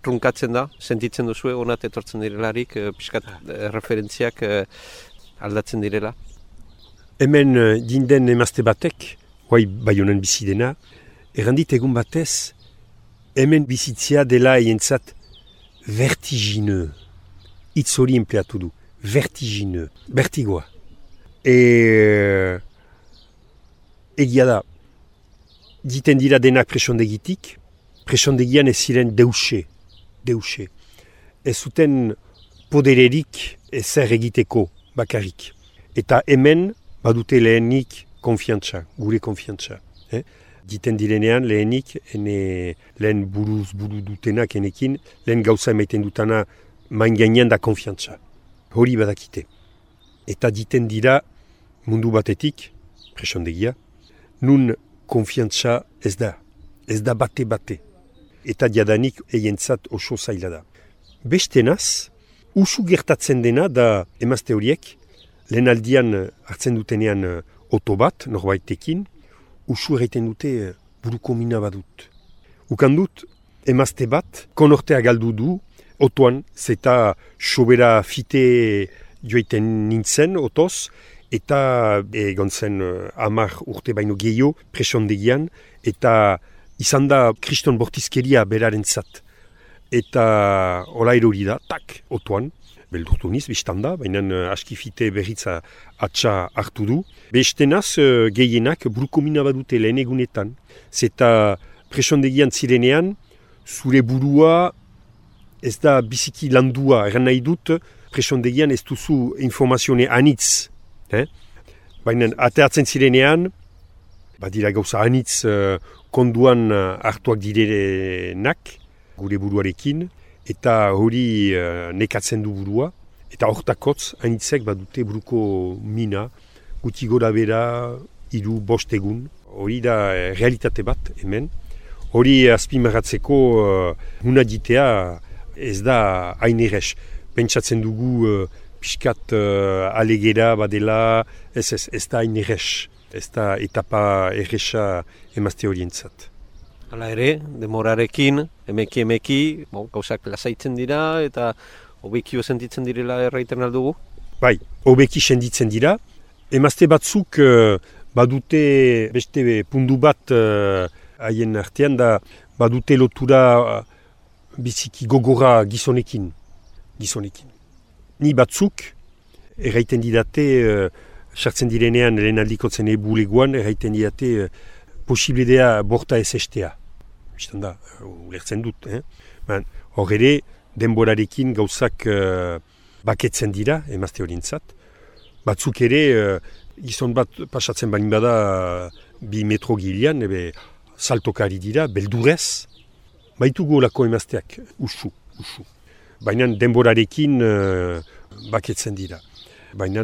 trunkatzen da, sentitzen duzue, onat etortzen direlarik, pixkat referentziak aldatzen direla. Hemen jinden emazte batek, bai honen bizi dena, errandit egun batez, hemen bizitzea dela eientzat vertigineux. Itz hori empleatu du, vertigineux, vertigoa. Egia da, diten dira denak presondegitik, presondegian ez ziren deuse. Ez zuten podererik ezer egiteko bakarrik. Eta hemen badute lehenik konfiantza, gure konfiantza. Diten direnean lehenik, lehen buru dutenak enekin, lehen gauza emaiten dutana main gainean da konfiantza. Hori badakite. Eta diten dira mundu batetik, presondegia, nun konfiantza ez da bate. Eta diadanik eientzat oso zaila da. Bestenaz, usu gertatzen dena da emazte horiek, lehen aldian hartzen dutenean oto bat, norbaitekin, usu erraiten dute buruko mina badut. Ukan dut, emazte bat, konortea galdu du, otoan, zeta sobera fite joiten nintzen, otoz, eta egon zen 10 urte baino gehiago presondegian, eta izan da kriston bortizkeria berarentzat. Eta hola erori da, tak, otoan, beldurtu niz, biztanda, baina askifite berritza atxa hartu du. Bestenaz, gehienak buruko mina badute lehen egunetan. Zeta presondegian zirenean, zure burua ez da biziki landua, eran nahi dut, presondegian ez duzu informazione anitz. Baina ateatzen zirenean, badira gauza anitz konduan hartuak direnak, gure buruarekin, eta hori nekatzen du burua, eta hortakotz, hainitzek badute buruko mina, guti gora bera, 3-5 egun, hori da realitate bat hemen. Hori azpimarratzeko huna ditea ez da hain errez. Pentsatzen dugu pixkat alegera badela, ez da hain errez. Ez da etapa erreza emazte horientzat. Hala ere, demorarekin, emeki, gauzak lasaitzen dira eta hobekio sentitzen direla erraiten aldugu? Bai, hobeki senditzen dira. Emazte batzuk badute beste pundu bat haien artean da badute lotura biziki gogora gizonekin. Ni batzuk erraiten didate, sartzen direnean lehen aldikotzen buleguan, erraiten didate posibledea borta ez estea. Bistan da, ulertzen dut. Hor ere, denborarekin gauzak baketzen dira, emazte horientzat. Batzuk ere, gizon bat pasatzen balin bada 2 metro gilean, saltokari dira, beldurez. Baitugu olako emazteak, usu. Baina denborarekin baketzen dira. Baina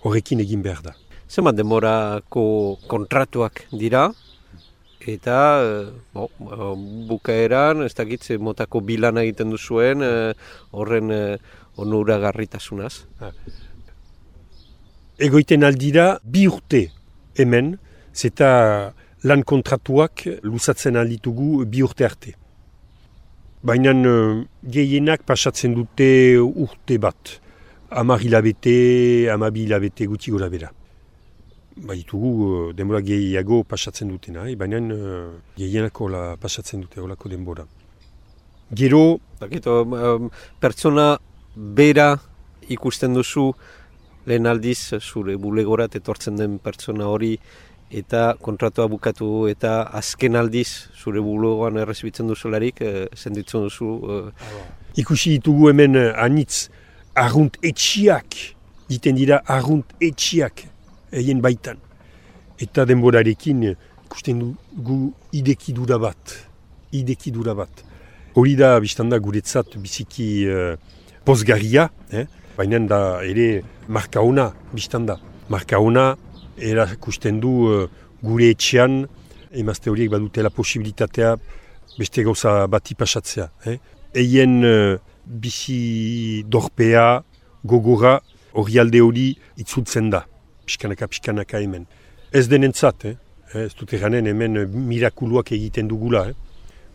horrekin egin behar da. Zenbat denborako kontratuak dira, eta bukaeran, ez dakit motako bilana egiten duzuen, horren onuragarritasunaz. Egoiten aldira 2 urte hemen, zeta lan kontratuak luzatzen alditugu 2 urte arte. Baina gehienak pasatzen dute urte bat. 10 hilabete, 12 hilabete guti gora bera. Baitugu denbora gehiago pasatzen dutena, baina gehienako pasatzen dute olako denbora. Gero... Pertsona bera ikusten duzu lehen aldiz zure bulegorat etortzen den pertsona hori eta kontratua bukatu eta azken aldiz zure bulegoan errezibitzen duzularik, senditzen duzu... Ikusi ditugu hemen anitz arrunt etxiak, diten dira arrunt etxiak egin baitan. Eta denborarekin ikusten dugu idekidura bat. Hori da, biztanda guretzat biziki pozgarria, baina da ere marka ona, biztanda. Marka ona erakusten du gure etxean, emazte horiek badutela posibilitatea beste gauza bati pasatzea. Eien bizi dorpea, gogora, hori alde hori itzultzen da, pixkanaka hemen. Ez denentzat, ez dut eranen hemen mirakuluak egiten dugula,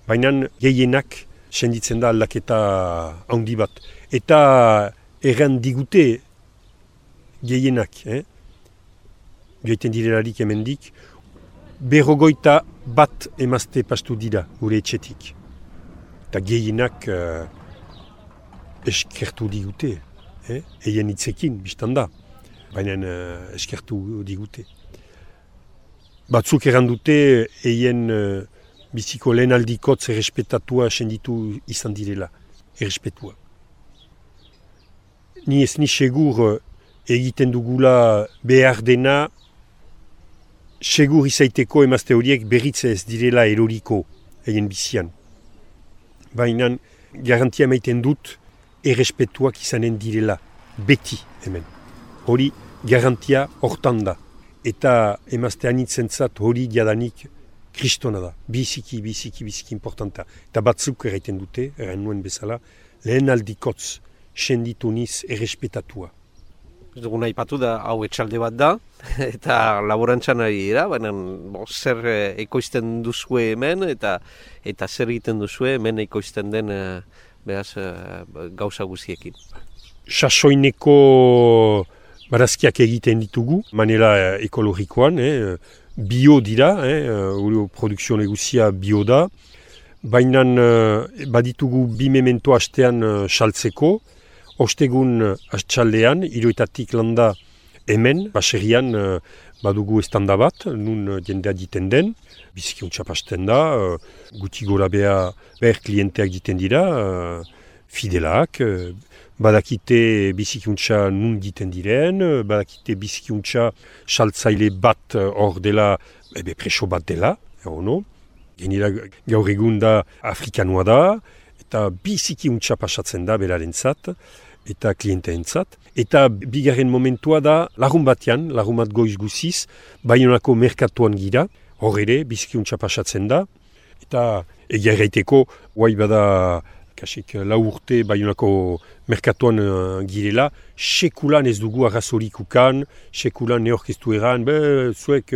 baina gehienak senditzen da aldaketa handi bat. Eta erran digute gehienak, joiten direlarik hemendik, 51 emazte pastu dira gure etxetik. Eta gehienak eskertu digute, eien hitzekin, biztan da, baina eskertu digute. Batzuk errandute eien biziko lehen aldikotz errespetatua senditu izan direla, errespetua. Ni ez ni segur egiten dugula behar dena, segur izaiteko emazte horiek berritze ez direla eroriko egin bizian. Baina garantia maiten dut errespetuak izanen direla, beti hemen. Hori garantia hortan da. Eta emazte anitzentzat hori diadanik kristona da. Biziki importanta. Eta batzuk erraiten dute, erran nuen bezala, lehen aldikotz senditu niz errespetatua. Ez dugu nahi patu da, hau etxalde bat da, eta laborantzan ari dira, baina zer ekoizten duzue hemen, eta zer egiten duzue hemen ekoizten den gauza guziekin. Sasoineko barazkiak egiten ditugu, manera ekologikoan, bio dira, produkzio negozia bio da, baina baditugu 2 memento hastean saltzeko, ostegun astxaldean, 3 landa hemen, baserrian badugu estanda bat, nun jendea diten den, biziki pasten da, guti gora behar klienteak diten dira, fidelak, badakite bizikuntza nun diten diren, badakite bizikuntza saltzaile bat hor dela, preso bat dela, no? Genera gaur egun da afrikanoa da, eta biziki untsa pasatzen da berarentzat, eta klienteentzat. Eta bigarren momentua da lagun bat goiz guziz, Baionako merkatuan gira, hor ere, biziki untsa pasatzen da, eta egia erraiteko, guai bada, kasik, 4 urte Baionako merkatuan girela, sekulan ez dugu arrazorik ukan, sekulan neorkeztu eran, zuek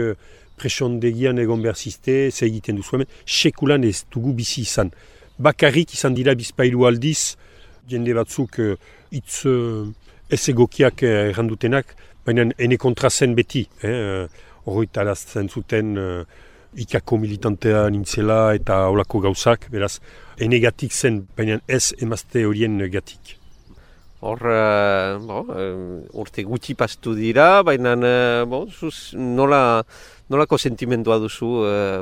presondegian egon behar ziste, ze egiten duzu hemen, sekulan ez dugu bizi izan. Bakarrik izan dira bizpailu aldiz, jende batzuk hitz ez egokiak errandutenak, baina ene kontrazen beti. Horretarazten zuten ikako militantea nintzela eta holako gauzak, beraz, ene gatik zen, baina ez emazte horien gatik. Hor, urte gutxi pastu dira, baina nolako sentimendua duzu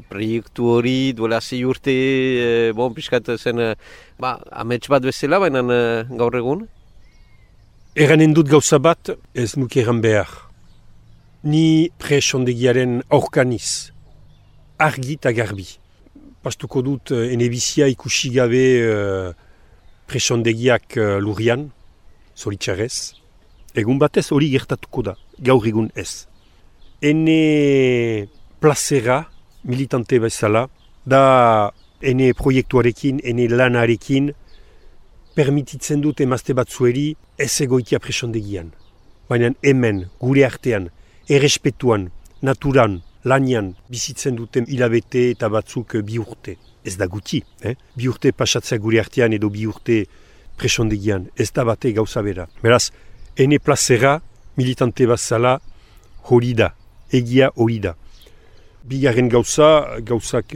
proiektu hori duela 6 urte, pixkat zen amets bat bezala, baina gaur egun? Eranen dut gauza bat ez nuke eran behar. Ni presondegiaren aurkaniz, argi eta garbi. Pastuko dut ene bizia ikusi gabe presondegiak lurian, zoritxarrez. Egun batez hori gertatuko da, gaur egun ez. Ene plazera, militante bezala, da ene proiektuarekin, ene lanarekin, permititzen dut emazte batzueri ez egoitia presondegian. Baina hemen, gure artean, errespetuan, naturan, lanian, bizitzen duten hilabete eta batzuk 2 urte. Ez da guti, Bi urte pasatzea gure artean edo 2 urte presondegian, ez da bate gauza bera. Beraz, ene plazera, militante bazala, hori da, egia hori da. Bigarren gauzak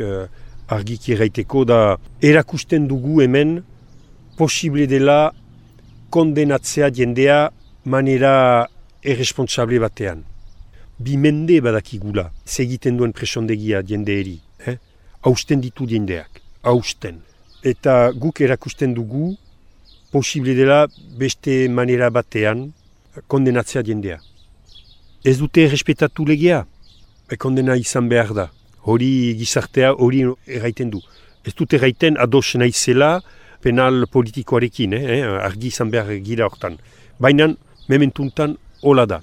argiki erraiteko da, erakusten dugu hemen, posible dela kondenatzea jendea manera irresponsable batean. 2 mende badakigula, segiten duen presondegia jende eri. Hausten ditu jendeak, hausten. Eta guk erakusten dugu, posible dela beste manera batean kondenatzea jendea. Ez dute errespetatu legea, kondena izan behar da. Hori gizartea hori erraiten du. Ez dute erraiten ados naizela penal politikoarekin, argi izan behar gira hortan. Baina, mementuntan hola da.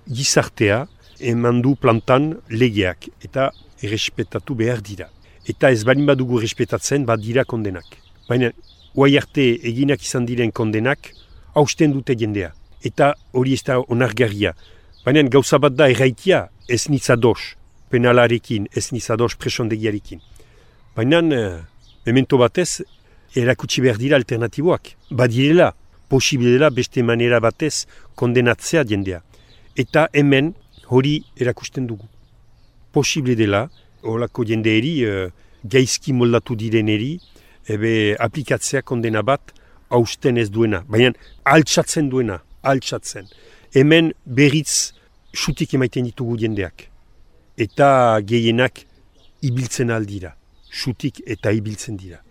Gizartea eman du plantan legeak eta errespetatu behar dira. Eta ez balin badugu errespetatzen bat dira kondenak. Baina, guai arte eginak izan diren kondenak, hausten dute jendea. Eta hori ez da onargarria. Baina gauza bat da erraitia ez nitzados penalarekin, ez nitzados presondegiarekin. Baina, memento batez, erakutsi behar dira alternatiboak. Badirela, posible dela beste manera batez kondenatzea jendea. Eta hemen hori erakusten dugu. Posible dela, horako jendeeri, gaizki moldatu direneri, aplikatzea kondena bat hausten ez duena. Baina altsatzen duena, altsatzen. Hemen berriz xutik emaiten ditugu jendeak. Eta gehienak ibiltzen aldira. Xutik eta ibiltzen dira.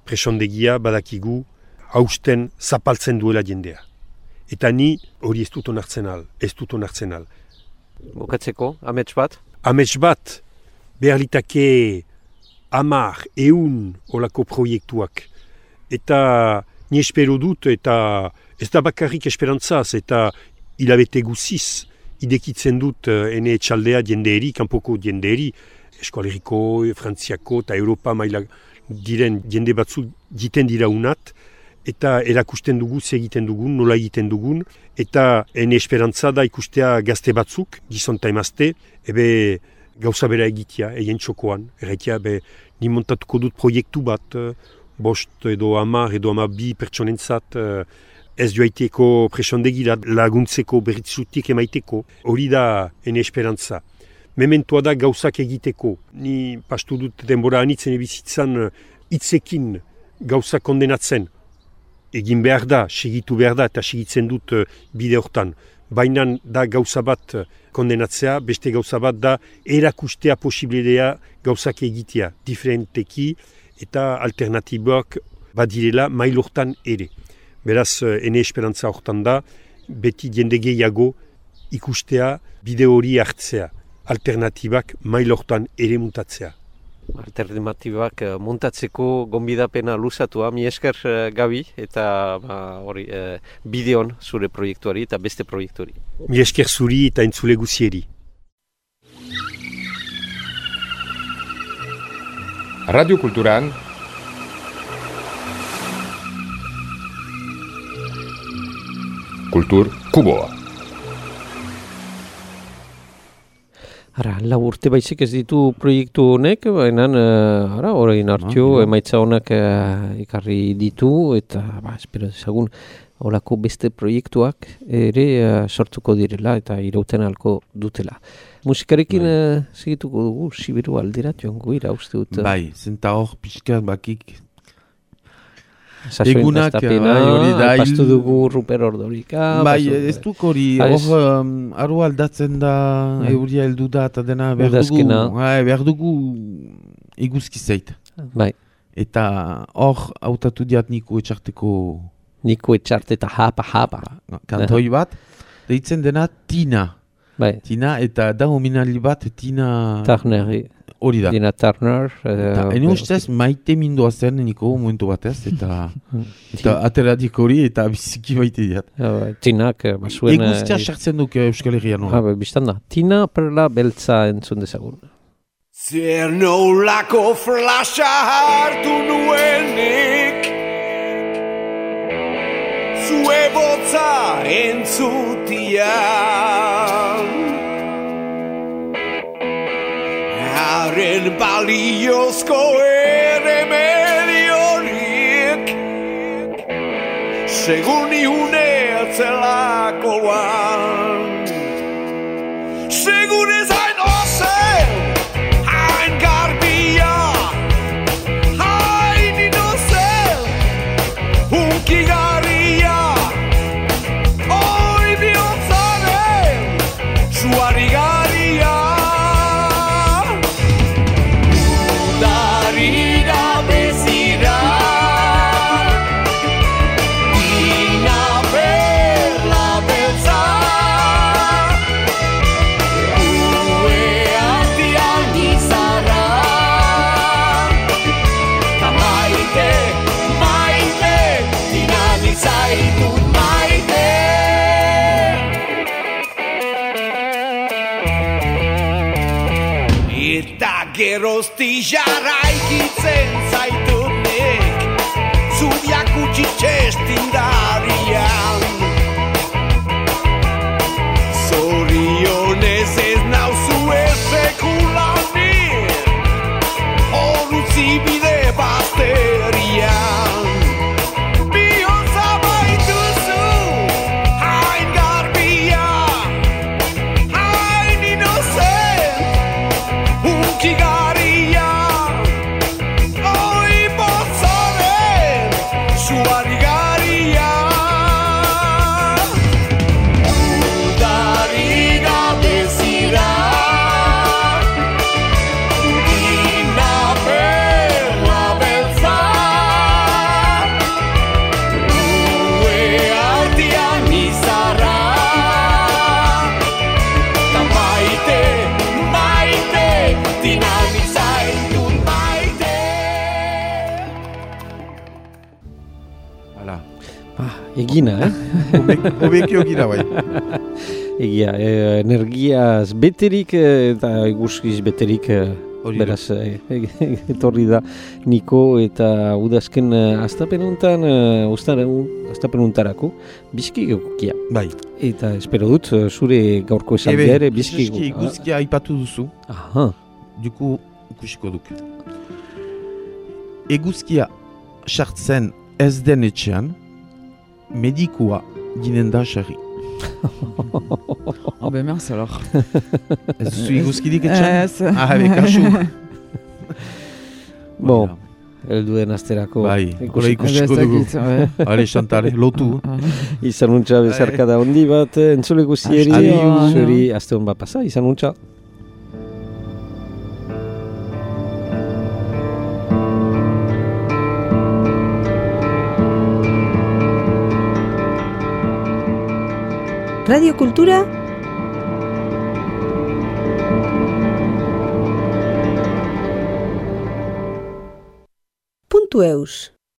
Presondegia badakigu hausten zapaltzen duela jendea. Eta ni hori ez dut onartzen al. Bukatzeko, amets bat? Amets bat, behar litake 10, 100 olako proiektuak. Eta ni espero dut, eta ez da bakarrik esperantzaz, eta hilabete guziz, idekitzen dut ene etxaldea jendeeri, kanpoko jendeeri, Eskoaleriko, Frantziako eta Europa maila diren jende batzu jiten dira unat, eta erakusten dugu, egiten dugun, nola egiten dugun, eta ene esperantza da ikustea gazte batzuk, gizonta emazte, gauza bera egitea, egin txokoan, erraitea, ni montatuko dut proiektu bat, 5 edo 10 edo 12 pertsonentzat, ez joaiteko presondegira laguntzeko berritzutik emaiteko, hori da ene esperantza. Mementoa da gauzak egiteko. Ni pastu dut denbora anitzen ebizitzan hitzekin gauzak kondenatzen. Egin behar da, segitu behar da, eta segitzen dut bide hortan. Baina da gauza bat kondenatzea, beste gauza bat da erakustea posibilidea gauzak egitea, diferenteki eta alternatiboak badirela mail hortan ere. Beraz, ene esperantza hortan da, beti jende gehiago ikustea bide hori hartzea. Alternatibak mail hortan ere mutatzea. alternatibak montatzeko gonbidapena luzatua, mi esker Gabi, eta bideon zure proiektuari eta beste proiektuari. Mi esker zuri eta entzule guzieri. Radio Kulturan Kultur Kuboa. Lau urte baizik ez ditu proiektu honek, baina orain hartio emaitza honak ekarri ditu, eta espero dezagun horako beste proiektuak ere sortuko direla eta irauten alko dutela. Musikarekin segituko dugu, Sibiru aldera joango ira uste dut. Bai, zenta hor pixka bakik. Sasoin daztapena, pastu dugu Ruper Ordorika. Bai, ez duk hori, hor aru aldatzen da, euria heldu da, eta dena behar dugu iguzki zeit. Bai. Eta hor hautatu diat Niko Etxarteko... Niko Etxarte eta hapa. Kantoi bat, deitzen dena Tina. Bai. Tina, eta da hominali bat Tina... Tarneri. Hori da. Tina Turner. Ene ustez maite mindua zen Niko momentu batez, eta ateradik hori eta biziki baite diat. Tinak basuen... Eguztia sartzen duk Euskal Herrian hori. Bistan da. Tina perla beltza entzun dezagun. Zer nolako flasha hartu nuenik zue botza entzutian haren baliozko eremediorik segun ihune atzelakoan segun ez hain ozen hain garbia hain inozen hunkigarria oi bihotzaren suarigaria udari gabezira Tina perla beltza ue artian izarra ta maite Tina nizaitut maite eta gerozti jarraikitzen zaitunik zubiak utzi txestindarian zorionez ez nauzu esekulanik hor utzi bide bazterian bihotza baituzu hain garbia hain inocent hunkigarria oi botzaren suarigaria udari gabezira Tina perla beltza ue artian izarra ta maite Tina nizaitut maite Hala. Egina, Hobekio gira bai. Egia, energiaz beterik eta eguzkiz beterik beraz etorri da Niko eta udazken astapenuntan astapenuntarako bizki egokia. Bai. Eta espero dut zure gaurko esaldia ere bizki egokia. Eguzkia aipatu duzu. Aha. Duku ikusiko duk. Eguzkia sartzen ez den etxean, medikua ginen da xarri. Oh ben merci alors. Ez duzu eguzkidik etxean? Ez. Kasu. Bon, helduen asterako. Bai, hori ikusiko dugu. Ale, Xantale, lotu. Izan untxa bezarkada hondi bat, entzule guzieri. Zuri, aste hon bat pasa, izan untxa. Radio Kultura www.radiocultura.eus